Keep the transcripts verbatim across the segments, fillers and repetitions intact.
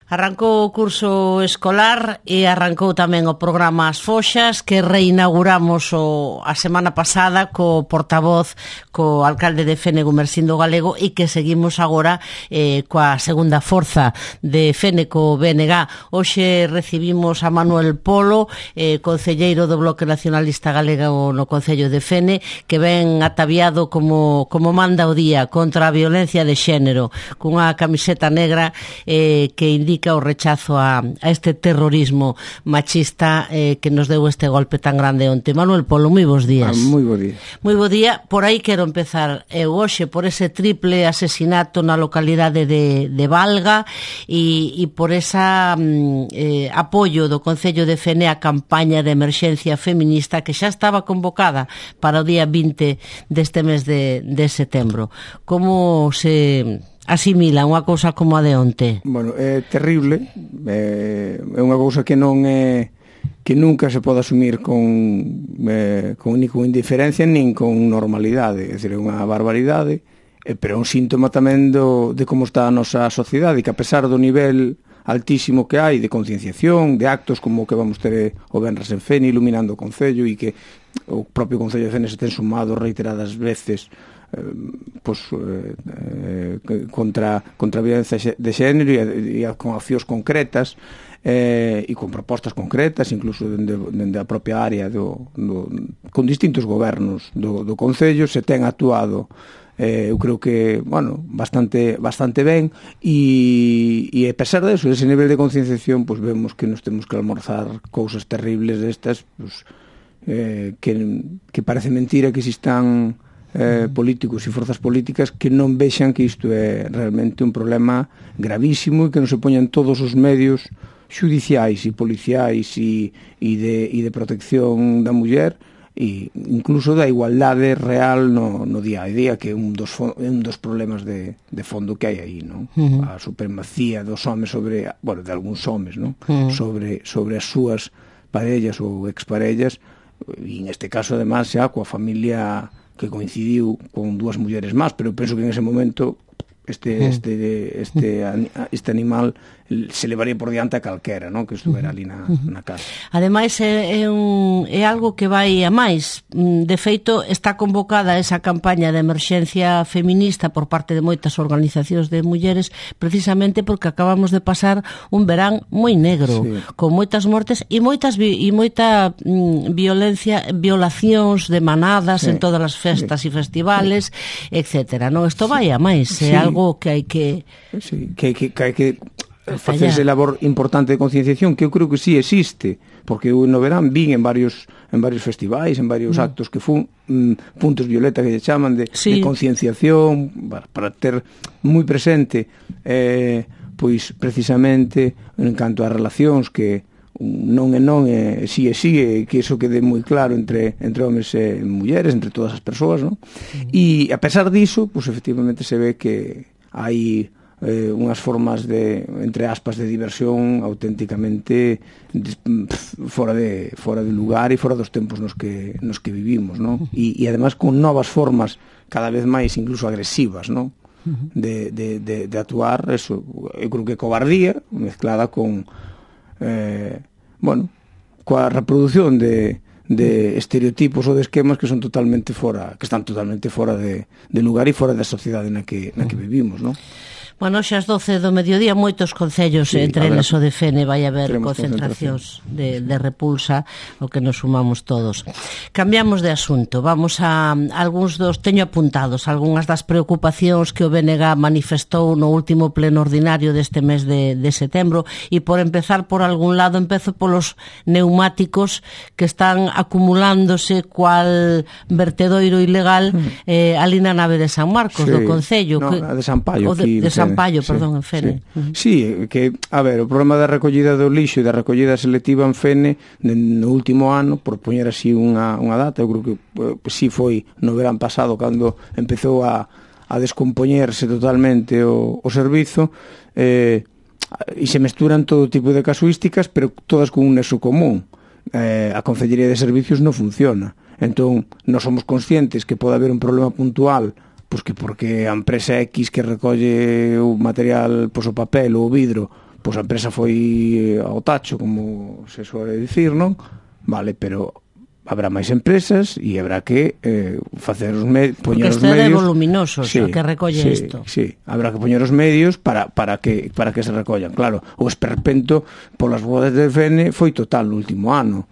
Arrancou o curso escolar e arrancou tamén o programa As Foxas, que reinauguramos o, a semana pasada co portavoz, co alcalde de Fene, Gumersindo Galego, e que seguimos agora eh, coa segunda forza de Fene, co B N G. Hoxe recibimos a Manuel Polo, eh, concelleiro do Bloque Nacionalista Galego no Concello de Fene, que ven ataviado como, como manda o día contra a violencia de xénero, cunha camiseta negra eh, que indica o rechazo a, a este terrorismo machista eh, que nos deu este golpe tan grande onte. Manuel Polo, moi bons días. Ah, moi bo día. Moi bo día. Por aí quero empezar eu hoxe por ese triple asesinato na localidade de, de Valga e, e por esa mm, eh, apoio do Concello de Fene a campaña de emerxencia feminista que xa estaba convocada para o día vinte deste mes de, de setembro. Como se asimila unha cousa como a de onte? Bueno, é terrible, é, é unha cousa que non é que nunca se pode asumir con, eh, con ni con indiferencia nin con normalidade, é dicir, é unha barbaridade, eh, pero é un síntoma tamén do, de como está a nosa sociedade, e que a pesar do nivel altísimo que hai de concienciación, de actos como o que vamos ter o Venres en Fene, iluminando o Concello, e que o propio Concello de Fene se ten sumado reiteradas veces Eh, pues, eh, eh, contra, contra a violencia de xénero e, e con accións concretas eh, e con propostas concretas, incluso dende, dende a propia área do, do, con distintos gobernos do, do Concello se ten actuado eh, eu creo que, bueno, bastante bastante ben e, e a pesar de eso, ese nivel de concienciación, pues vemos que nos temos que almorzar cousas terribles destas, pues, eh, que, que parece mentira que existan Eh, políticos e forzas políticas que non vexan que isto é realmente un problema gravísimo e que non se poñan todos os medios xudiciais e policiais e, e, de, e de protección da muller e incluso da igualdade real no, no día a día, que é un dos, un dos problemas de, de fondo que hai aí, non? Uh-huh. A supremacía dos homes sobre, bueno, de algúns homes, non? Uh-huh. sobre, sobre as súas parellas ou exparellas, e neste caso además xa coa familia que coincidiu con dúas mulleres máis, pero penso que en ese momento este este este este animal se levaría por diante a calquera, non? Que estuvera ali na, na casa. Ademais é, é, un, é algo que vai a máis. De feito, está convocada esa campaña de emerxencia feminista por parte de moitas organizacións de mulleres precisamente porque acabamos de pasar un verán moi negro, sí, con moitas mortes e moitas e moita mm, violencia, violacións de manadas, sí, en todas as festas sí, e festivales, sí, etcétera. Non, isto vai a máis, é sí, algo que hai que sí, que que que hai que facerse labor importante de concienciación, que eu creo que sí existe, porque eu no verán vin en varios en varios festivais, en varios mm. actos que fun mm, puntos violeta que lle chaman de, sí, de concienciación para, para ter moi presente eh, pois precisamente en canto a relacións que non é non, é si é si, é que iso quede moi claro entre entre homes e mulleres, entre todas as persoas, non? Mm. E a pesar diso, pois efectivamente se ve que hai eh, unhas formas de, entre aspas, de diversión auténticamente de, fora de fora de lugar e fora dos tempos nos que nos que vivimos, non? E, e además con novas formas cada vez máis incluso agresivas, non? De, de, de, de actuar, eso, eu creo que cobardía mezclada con eh, bueno, coa reproducción de de estereotipos ou de esquemas que son totalmente fora, que están totalmente fora de, de lugar e fora da sociedade na que, na que vivimos, non? Bueno, xa as doce do mediodía moitos concellos, sí, entre eles o de Fene, vai haber concentracións de, de repulsa, o que nos sumamos todos. Cambiamos de asunto, vamos a, a algúns dos, teño apuntados algunhas das preocupacións que o B N G manifestou no último pleno ordinario deste mes de, de setembro, e por empezar por algún lado, empezo polos neumáticos que están acumulándose cual vertedoiro ilegal eh, ali na nave de San Marcos, sí, do Concello. No, que, a de San Paio, de, de San Paio, sí, perdón, en Fene. Sí. sí, que, a ver, o problema da recollida do lixo e da recollida selectiva en Fene no último ano, por poñer así unha, unha data, eu creo que pues, sí foi no verán pasado cando empezou a, a descompoñerse totalmente o, o servizo, eh, e se mesturan todo tipo de casuísticas, pero todas con un nexo común. Eh, a Concellería de Servicios non funciona. Entón, nós somos conscientes que pode haber un problema puntual, pois que porque a empresa X que recolle o material, pois o papel ou o vidro, pois a empresa foi ao tacho, como se suele dicir, non? Vale, pero habrá máis empresas e habrá que eh, facer os medios, poñer os medios. Porque este é voluminoso, sí, que recolle sí, isto. Sí, habrá que poñer os medios para, para, que, para que se recollan. Claro, o esperpento polas rodas de F N foi total no último ano.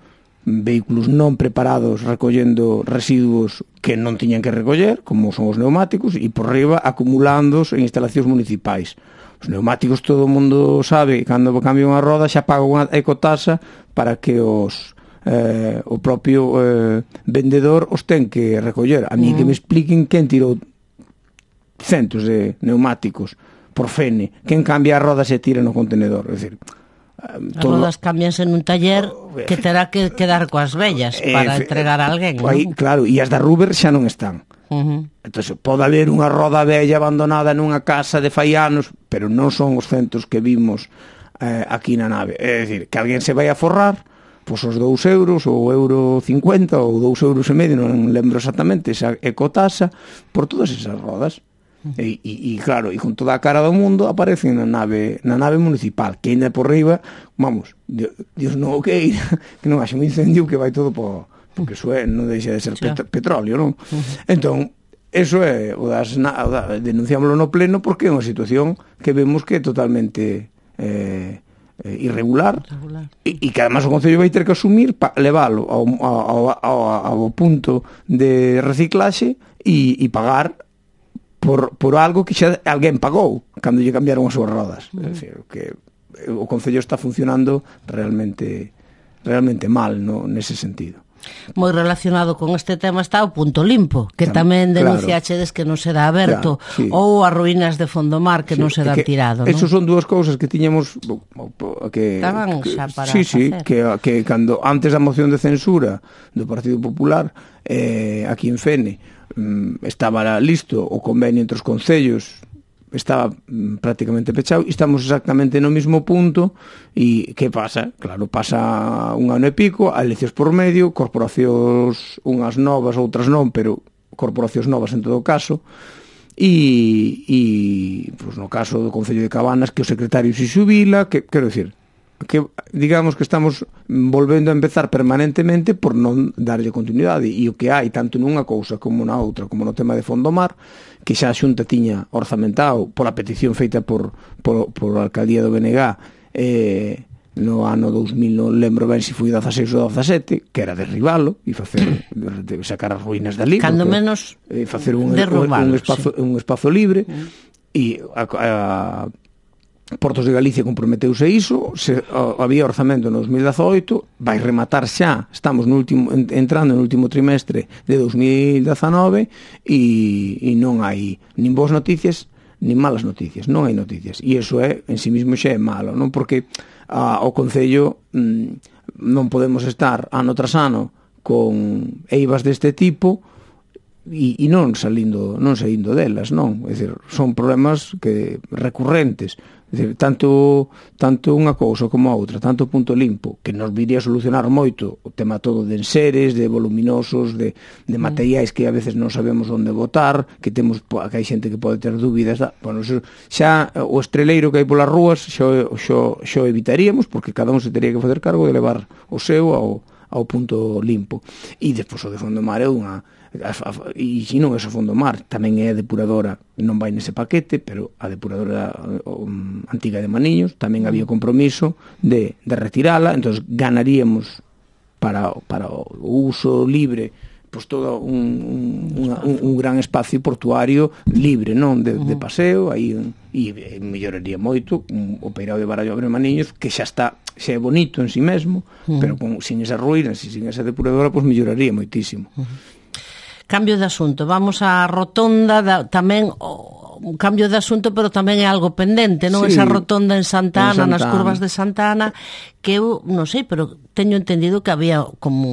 Vehículos non preparados recollendo residuos que non tiñan que recoller, como son os neumáticos, e por riba acumulándos en instalacións municipais. Os neumáticos todo o mundo sabe que cando cambia unha roda xa paga unha ecotasa para que os eh, o propio eh, vendedor os ten que recoller. A mí mm. que me expliquen quen tirou centos de neumáticos por F N, quen cambia as rodas e tira no contenedor. É dicir, as rodas cambianse nun taller que terá que quedar coas vellas para entregar a alguén, aí, non? Claro, e as da Ruber xa non están. Uh-huh. Entón, pode haber unha roda vella abandonada nunha casa de fai anos, pero non son os centos que vimos eh, aquí na nave. É dicir, que alguén se vai a forrar pois os dous euros, ou euro cincuenta, ou dous euros e medio, non lembro exactamente, esa ecotasa, por todas esas rodas. E, e, e claro, e con toda a cara do mundo aparecen na nave na nave municipal, que ainda por riba, vamos, Dios, Dios non o queira, que non haxe un incendio que vai todo por, porque eso é, non deixa de ser pet, petróleo, non? Uh-huh. Entón, eso é o das, o da, denunciámoslo no pleno porque é unha situación que vemos que é totalmente eh, irregular, irregular. E, e que además o Concello vai ter que asumir pa, leválo ao, ao, ao, ao punto de reciclaxe e, e pagar por, por algo que xa alguén pagou cando lle cambiaron as súas rodas. Uh-huh. É dicir, que o Concello está funcionando realmente realmente mal, no, nese sentido. Moi relacionado con este tema está o Punto Limpo, que tamén denunciachedes que non se dá aberto, claro, sí. Ou as ruínas de Fondomar que sí, non se dá tirado, non? Esas son dúas cousas que tiñamos que estaban xa para sí, sí, facer. que, que cando antes da moción de censura do Partido Popular eh, aquí en Fene mm, estaba listo o convenio entre os concellos, estaba mm, prácticamente pechado e estamos exactamente no mismo punto. E que pasa? Claro, pasa un ano e pico, a eleccións por medio, corporacións unhas novas, outras non, pero corporacións novas en todo caso, e, e pues, no caso do Concello de Cabanas, que o secretario se xubila, que, quero dicir, que digamos que estamos volvendo a empezar permanentemente por non darlle continuidade, e o que hai tanto nunha cousa como na outra, como no tema de Fondomar, que xa a Xunta tiña orzamentado pola petición feita por, por, por a Alcaldía do B N G eh, no ano dous mil, non lembro ben se foi dezaseis ou dezasete, que era derribalo e facer de sacar as ruínas dali, cando porque, menos eh, facer un, un, un, espazo, sí. un espazo libre e a, a Portos de Galicia comprometeuse iso, se, o, había orzamento no dos mil dezaoito, vai rematar xa, estamos no último, entrando no último trimestre de dos mil dezanove e, e non hai nin boas noticias nin malas noticias, non hai noticias, e iso é en si mismo xa é malo, non? Porque a, o Concello mm, non podemos estar ano tras ano con eivas deste tipo e, e non salindo non saindo delas, non? É dicir, son problemas que recurrentes. É dicir, tanto, tanto unha cousa como a outra, tanto o Punto Limpo, que nos viría a solucionar moito o tema todo de enseres, de voluminosos, de, de materiais que a veces non sabemos onde botar, que temos que hai xente que pode ter dúbidas. Bueno, xa o estreleiro que hai polas rúas xa, xa, xa evitaríamos, porque cada un se teria que facer cargo de levar o seu ao, ao Punto Limpo. E despois o de Fondomar é unha... e se non é o Fondomar, tamén é a depuradora, non vai nese paquete, pero a depuradora um, antiga de Maniños tamén había compromiso de, de retirala, entón ganaríamos para, para o uso libre pois todo un, un, un, un gran espacio portuario libre, non de, de paseo aí, e melloraría moito o Peirao de Barallo de Maniños, que xa está, xa é bonito en si mesmo, uh-huh. pero con, sin esas ruínas e sin esa depuradora, pois melloraría moitísimo. Uh-huh. Cambio de asunto, vamos á rotonda da, tamén o, un cambio de asunto, pero tamén é algo pendente, non? Sí, esa rotonda en Santa Ana, en Santa nas curvas de Santa Ana, que eu non sei, pero teño entendido que había como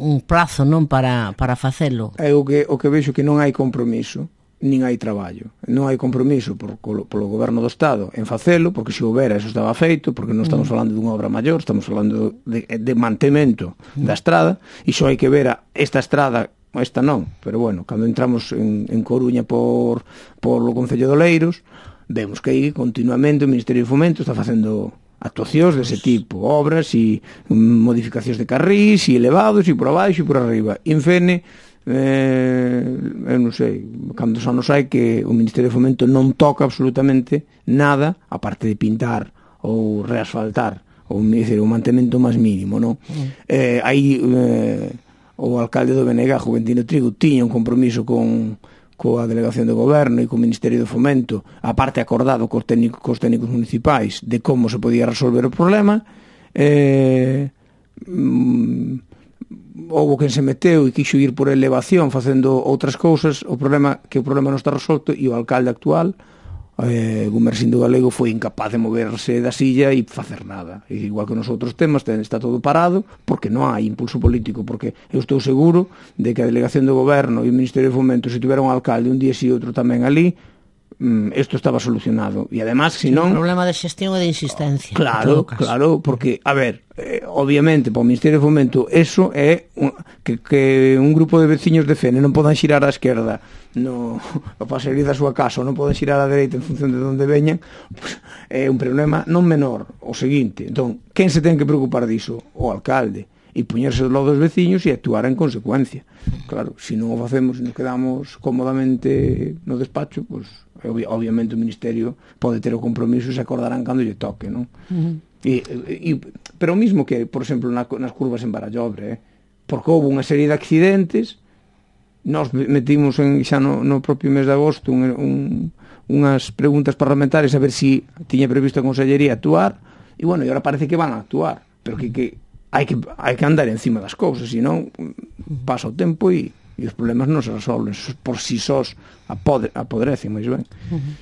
un prazo, non, para, para facelo. É o que, o que vexo que non hai compromiso, nin hai traballo. Non hai compromiso por, polo goberno do Estado en facelo, porque se houbera eso estaba feito, porque non estamos falando dunha obra maior, estamos falando de, de mantemento da estrada, e só hai que ver a esta estrada. Esta non, pero bueno, cando entramos en, en Coruña por, por o Concello de Oleiros, vemos que aí continuamente o Ministerio de Fomento está facendo actuacións dese tipo, obras e modificacións de carrís e elevados e por abaixo e por arriba. E en Fene, eh, eu non sei cantos anos hai que o Ministerio de Fomento non toca absolutamente nada, aparte de pintar ou reasfaltar ou decir, o mantemento máis mínimo, non? Mm. Eh, aí eh, o alcalde do Benega, Juventino Trigo, tiña un compromiso con coa Delegación de Goberno e co Ministerio de Fomento, aparte acordado cos técnicos, cos técnicos municipais de como se podía resolver o problema. Eh, mm, houve quen se meteu e quixo ir por elevación facendo outras cousas, o problema que o problema non está resolto e o alcalde actual, eh, Gumersindo Galego, foi incapaz de moverse da silla e facer nada. E igual que nos outros temas está todo parado porque non hai impulso político, porque eu estou seguro de que a Delegación do Goberno e o Ministerio de Fomento, se tivera un alcalde un día e outro tamén ali, isto estaba solucionado. E además, se non... O problema de xestión e de insistencia. Claro, claro, porque, a ver, eh, obviamente, para o Ministerio de Fomento, eso é un, que, que un grupo de veciños de Fene non podan xirar á esquerda no, para salir da súa casa ou non poden xirar á dereita en función de onde veñan, pues, é un problema non menor. O seguinte, entón, quen se ten que preocupar diso? O alcalde. E poñerse do lado dos veciños e actuar en consecuencia. Claro, se non o facemos e nos quedamos cómodamente no despacho, pues, obviamente o Ministerio pode ter o compromiso e se acordarán cando lle toque, non? Uh-huh. E, e, pero o mismo que, por exemplo, na, nas curvas en Barallobre, eh? Porque houve unha serie de accidentes, nós metimos en, xa no, no propio mes de agosto un, un, unhas preguntas parlamentarias a ver si tiña previsto a Consellería actuar, e bueno, e agora parece que van a actuar, pero que, que hai que hai que andar encima das cousas, senón pasa o tempo e, e os problemas non se resolven por si sós apodre, apodrecen, máis ben. Uh-huh.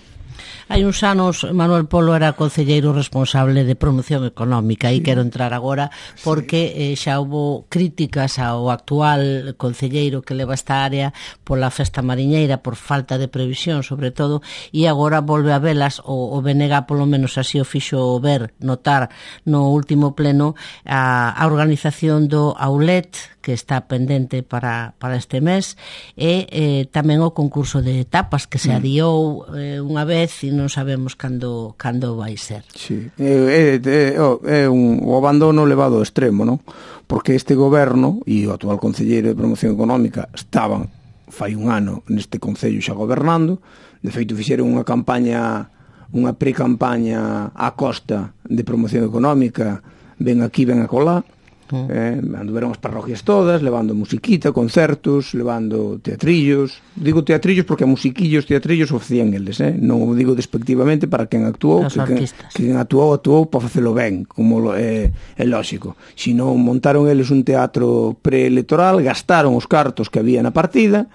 Hai uns anos Manuel Polo era concelleiro responsable de promoción económica e sí. Quero entrar agora porque sí. eh, xa houve críticas ao actual concelleiro que leva esta área pola festa mariñeira, por falta de previsión sobre todo, e agora volve a velas o, o B N G, polo menos así o fixo ver, notar no último pleno a, a organización do Aulet que está pendente para, para este mes e eh, tamén o concurso de tapas que se adiou eh, unha vez e non sabemos cando cando vai ser. Sí. É, é, é un, o abandono levado ao extremo, non? Porque este goberno e o actual concelleiro de promoción económica estaban fai un ano neste concello xa gobernando, de feito fixeron unha campaña, unha pre-campaña á costa de promoción económica, ven aquí, ven acolá, Mm. Eh, anduveron as parroquias todas, levando musiquita, concertos, levando teatrillos. Digo teatrillos porque a musiquillos, teatrillos o facían eles, eh? Non o digo despectivamente para quen actuou, que quen, quen actuou, actuou para facelo ben, como é, é lógico. Si non montaron eles un teatro preelectoral, gastaron os cartos que había na partida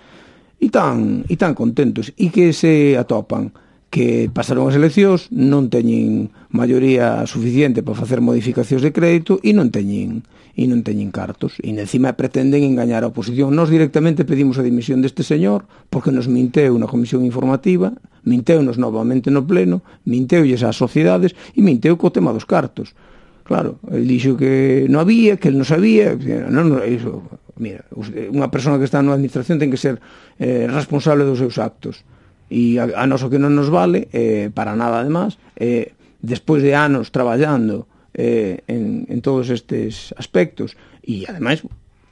e tan, e tan contentos. E que se atopan que pasaron as eleccións, non teñen maioría suficiente para facer modificacións de crédito e non teñen e non teñen cartos, e encima pretenden engañar a oposición. Nós directamente pedimos a dimisión deste señor porque nos minteu na comisión informativa, minteunos novamente no pleno, minteulles ás sociedades e minteu co tema dos cartos. Claro, el dixo que non había, que el non sabía, non, non, iso, mira, unha persona que está na administración ten que ser eh, responsable dos seus actos. E a, a noso que non nos vale eh, para nada además, eh, despois de anos traballando eh, en, en todos estes aspectos e ademais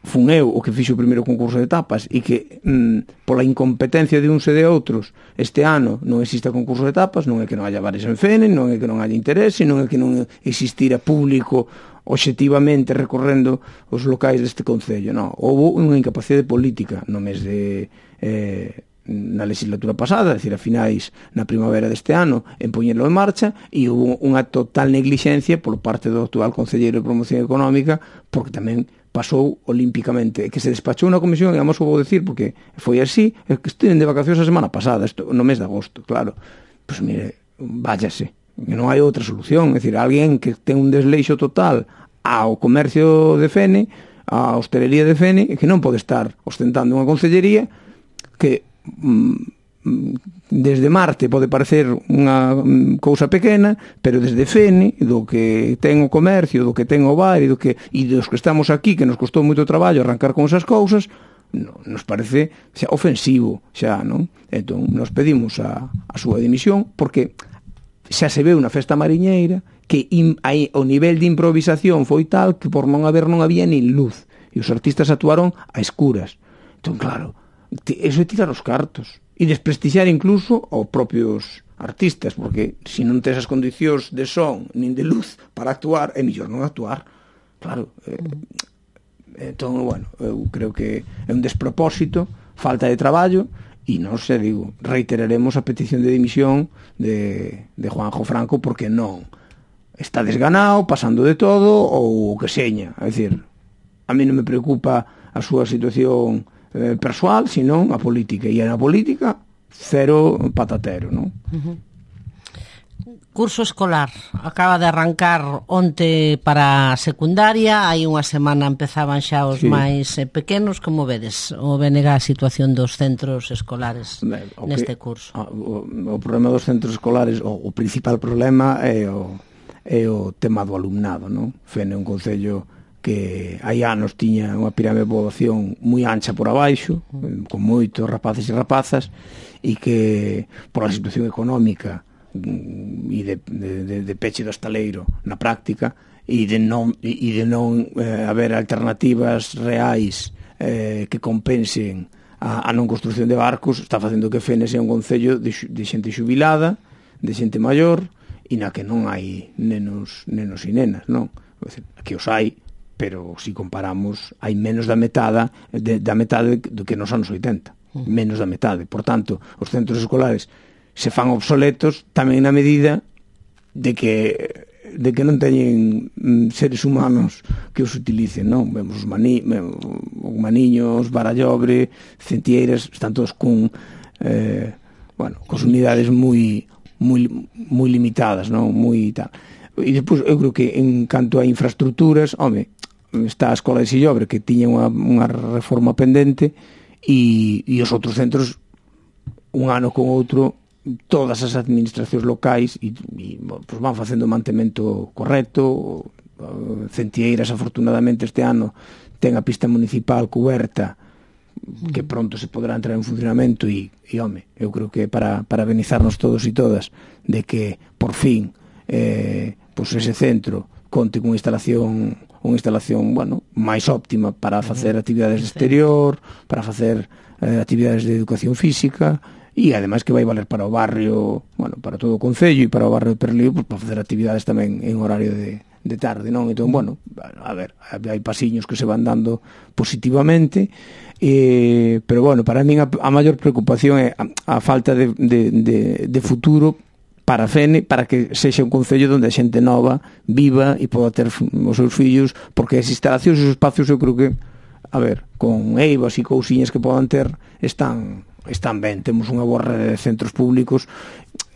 fun eu o que fixo o primeiro concurso de tapas e que mm, pola incompetencia de uns e de outros este ano non existe concurso de tapas, non é que non haya bares en Fene, non é que non haya interese, non é que non existira público obxectivamente recorrendo os locais deste concello, non, houve unha incapacidade política no mes de eh, na legislatura pasada, é dicir, a finais na primavera deste ano, en poñerlo en marcha, e houve unha total neglixencia por parte do actual concelleiro de promoción económica, porque tamén pasou olímpicamente, que se despachou na comisión, e vamos o vou decir, porque foi así, é que estiven de vacacións a semana pasada, isto, no mes de agosto, claro, pois mire, váyase, que non hai outra solución, é dicir, alguén que ten un desleixo total ao comercio de Fene, á hostelería de Fene, que non pode estar ostentando unha concellería que desde Marte pode parecer unha cousa pequena, pero desde Fene, do que ten o comercio, do que ten o bar e do que e dos que estamos aquí, que nos costou moito traballo arrancar con esas cousas, no, nos parece xa ofensivo, xa, non? Entón, nos pedimos a, a súa dimisión porque xa se veu na festa mariñeira que in, aí, o nivel de improvisación foi tal que por non haber non había nin luz e os artistas actuaron a escuras. Entón, claro, eso é tirar os cartos e desprestixiar incluso aos propios artistas, porque se non tes as condicións de son nin de luz para actuar, é mellor non actuar. Claro, eh, entón, bueno, eu creo que é un despropósito, falta de traballo, e non se digo, reiteraremos a petición de dimisión de, de Juanjo Franco porque non está desganado, pasando de todo ou o que seña. É dicir, a mí non me preocupa a súa situación eh, persoal, senón a política, e na política cero patatero, non? Uh-huh. Curso escolar acaba de arrancar onte para a secundaria, hai unha semana empezaban xa os sí. máis eh, pequenos. Como vedes o B N G a situación dos centros escolares ben, neste que, curso? O, o problema dos centros escolares, o, o principal problema é o, é o tema do alumnado, non? Fene é un concello que hai anos tiña unha pirámide de poboación moi ancha por abaixo, con moitos rapaces e rapazas, e que por a situación económica e de, de, de peche do estaleiro na práctica e de non, e de non eh, haber alternativas reais eh, que compensen a, a non construcción de barcos, está facendo que Fene sea un concello de, de xente xubilada, de xente maior, e na que non hai nenos, nenos e nenas, non? Que os hai, pero se comparamos hai menos da metade de, da metade do que nos anos oitenta, menos da metade. Por tanto, os centros escolares se fan obsoletos tamén na medida de que de que non teñen seres humanos que os utilicen, non? Vemos os mani, maniños, Barallobre, Centieiras, están todos con eh, bueno, cos unidades moi moi moi limitadas, non? Moi tal. E despois eu creo que en canto a infraestructuras, home, está a Escola de Sillobre que tiña unha, unha reforma pendente e, e os outros centros un ano con outro todas as administracións locais e, e pues van facendo o mantemento correcto. Centieiras afortunadamente este ano ten a pista municipal cuberta que pronto se poderá entrar en funcionamento e, e home, eu creo que para parabenizarnos todos e todas de que por fin eh, pues ese centro conte con instalación unha instalación, bueno, máis óptima para facer actividades de exterior, para facer eh, actividades de educación física e ademais que vai valer para o barrio, bueno, para todo o concello e para o barrio de Perlío, pues, para facer actividades tamén en horario de, de tarde, non? Entón, bueno, a ver, hai pasiños que se van dando positivamente, eh, pero bueno, para mí a, a maior preocupación é a, a falta de, de, de, de futuro para Fene, para que sexa un concello onde a xente nova viva e poda ter os seus fillos, porque as instalacións e os espacios eu creo que, a ver, con eivas e cousiñas que podan ter, están están ben, temos unha boa rede de centros públicos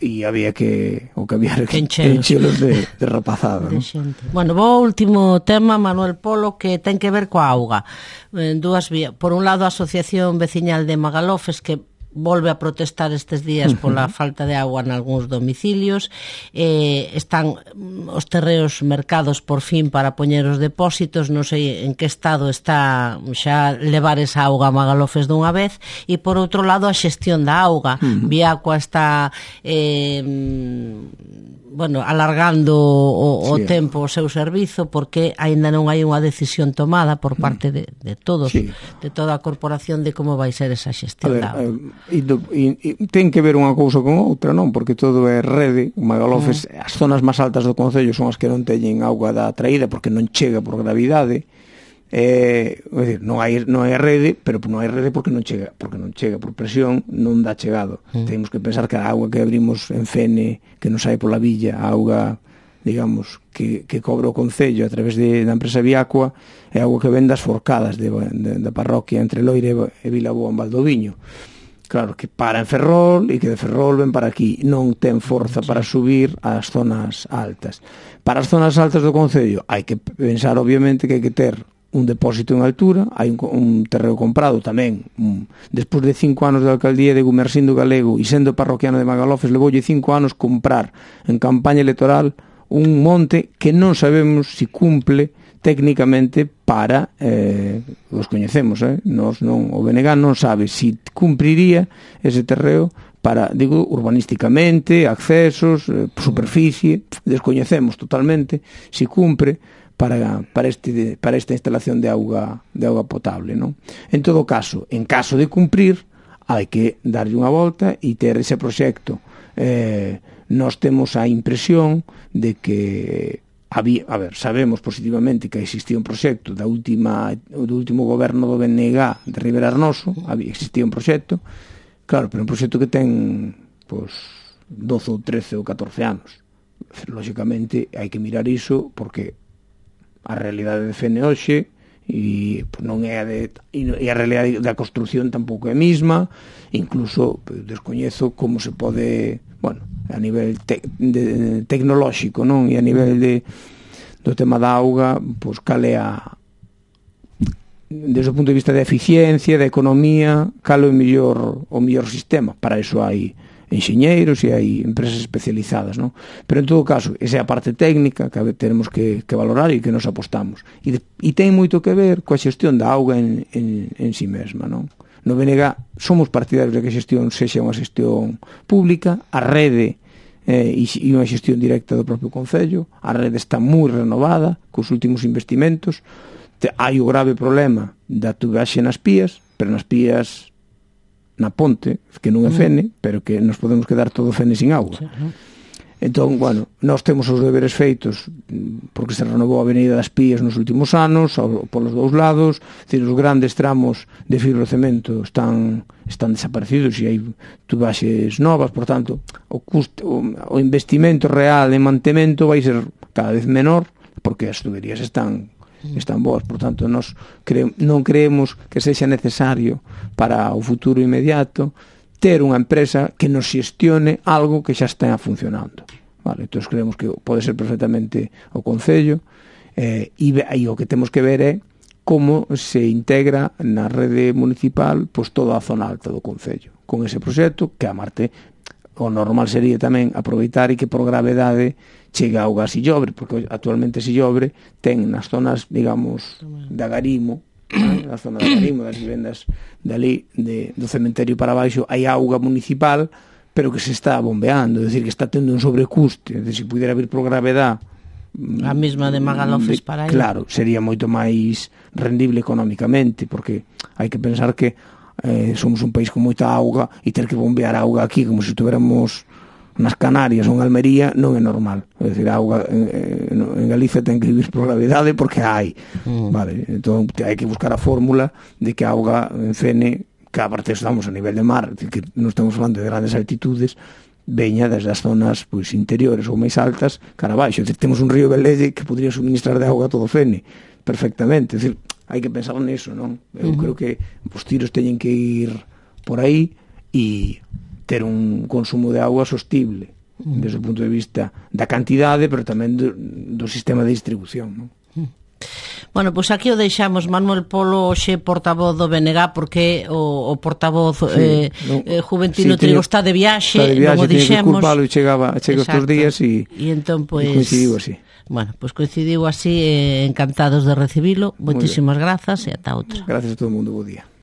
e había que o que había que enchelos de, de rapazada, de ¿no? Bueno, vou ao último tema, Manuel Polo, que ten que ver coa auga en dúas vías. Por un lado, a Asociación Veciñal de Magalofes, que volve a protestar estes días pola falta de agua en algúns domicilios. Eh, están os terreos mercados por fin para poñer os depósitos. Non sei en que estado está xa levar esa auga a Magalofes dunha vez. E por outro lado, a xestión da auga. Uh-huh. Viacua está eh, bueno, alargando o, o sí. tempo o seu servizo porque aínda non hai unha decisión tomada por parte de, de todos, sí. de toda a corporación de como vai ser esa xestión ver, da auga. E, e, e ten que ver unha cousa con outra, non? Porque todo é rede. Magalofes, mm. as zonas máis altas do concello son as que non teñen auga da traída porque non chega por gravidade. Eh, é dicir, non hai non hai rede, pero non hai rede porque non chega, porque non chega por presión, non dá chegado. Mm. Temos que pensar que a auga que abrimos en Fene, que nos sai pola villa, a auga, digamos, que, que cobra o concello a través de, da empresa Viacua, é auga que ven das forcadas de, de, da parroquia entre Loire e Vilaboa en Valdoviño. Claro, que para en Ferrol e que de Ferrol ven para aquí. Non ten forza para subir ás zonas altas. Para as zonas altas do concello hai que pensar, obviamente, que hai que ter un depósito en altura, hai un, un terreo comprado tamén. Un, despois de cinco anos de alcaldía de Gumersindo Galego e sendo parroquiano de Magalofes, levoulle cinco anos comprar en campaña electoral un monte que non sabemos se cumple técnicamente para eh, os coñecemos, eh? Nos non, o B N G non sabe si cumpriría ese terreo para, digo, urbanísticamente, accesos, eh, superficie, descoñecemos totalmente si cumpre para, para, este, para esta instalación de auga, de auga potable, non? En todo caso, en caso de cumprir, hai que darlle unha volta e ter ese proxecto. Eh, nós temos a impresión de que había, a ver, sabemos positivamente que existía un proxecto da última, do último goberno do B N G de Rivera Arnoso, había, existía un proxecto, claro, pero un proxecto que ten pois, doce ou trece ou catorce anos. Lóxicamente hai que mirar iso porque a realidade de Fene hoxe e pues, non é a de e a realidade da construción tampouco é a mesma, incluso pues, descoñezo como se pode, bueno, a nivel te, de, tecnolóxico, non? E a nivel de do tema da auga, pois pues, cal é a desde o punto de vista da eficiencia, da economía, cal é o mellor o mellor sistema. Para iso hai enxeñeiros e hai empresas especializadas, non? Pero en todo caso, esa é a parte técnica que tenemos que, que valorar e que nos apostamos. E, de, e ten moito que ver coa xestión da auga en, en, en si mesma, non? No B N G somos partidarios de que a xestión sexa unha xestión pública, a rede eh, e, e unha xestión directa do propio Concello, a rede está moi renovada cos últimos investimentos. Te, hai o grave problema da tubaxe nas pías, pero nas pías na ponte, que non é Fene, pero que nos podemos quedar todo Fene sin auga. Entón, bueno, nós temos os deberes feitos porque se renovou a Avenida das Pías nos últimos anos, ao, polos dous lados, decir, os grandes tramos de fibrocemento están están desaparecidos e hai tubaxes novas, por tanto, o, custo, o, o investimento real en mantemento vai ser cada vez menor porque as tuberías están están boas, por tanto nós cre- non creemos que sexa necesario para o futuro inmediato ter unha empresa que nos xestione algo que xa está funcionando, vale? Entón creemos que pode ser perfectamente o Concello, eh, e, e o que temos que ver é como se integra na rede municipal pois toda a zona alta do Concello con ese proxecto que a Marte o normal sería tamén aproveitar e que por gravedade chega auga a Sillobre, porque actualmente Sillobre ten nas zonas, digamos, da Garimo, na zona da Garimo, das vivendas dali, de, do cementerio para baixo, hai auga municipal, pero que se está bombeando, é dicir, que está tendo un sobrecuste, é dicir, se pudiera vir por gravedade a mesma de Magalofes para aí. Claro, sería moito máis rendible económicamente, porque hai que pensar que eh, somos un país con moita auga e ter que bombear auga aquí como se estuviéramos nas Canarias ou en Almería non é normal. É dicir, a auga en, en Galicia ten que vivir por gravidade porque hai. Mm. Vale, entón hai que buscar a fórmula de que a auga en Fene, que aparte estamos a nivel de mar, que non estamos falando de grandes altitudes, veña desde as zonas pois, interiores ou máis altas cara abaixo. É dicir, temos un río Velelle que podría suministrar de auga a todo Fene perfectamente. É dicir, hai que pensar niso, non? Eu uh-huh. creo que os tiros teñen que ir por aí e ter un consumo de auga sostible uh-huh. desde o punto de vista da cantidade, pero tamén do, do sistema de distribución, non? Uh-huh. Bueno, pois pues aquí o deixamos. Manuel Polo, xe portavoz do B N G, porque o, o portavoz sí, eh, no, eh, Juventino sí, Trigo está de viaxe, está de viaxe, non o dixemos. Culpalo, chegaba, chega estes días e, e entón, pues, e coincidiu así. Bueno, pois pues coincidiu así, eh, encantados de recibilo. Moitísimas grazas e ata outra. Gracias a todo o mundo, bo día.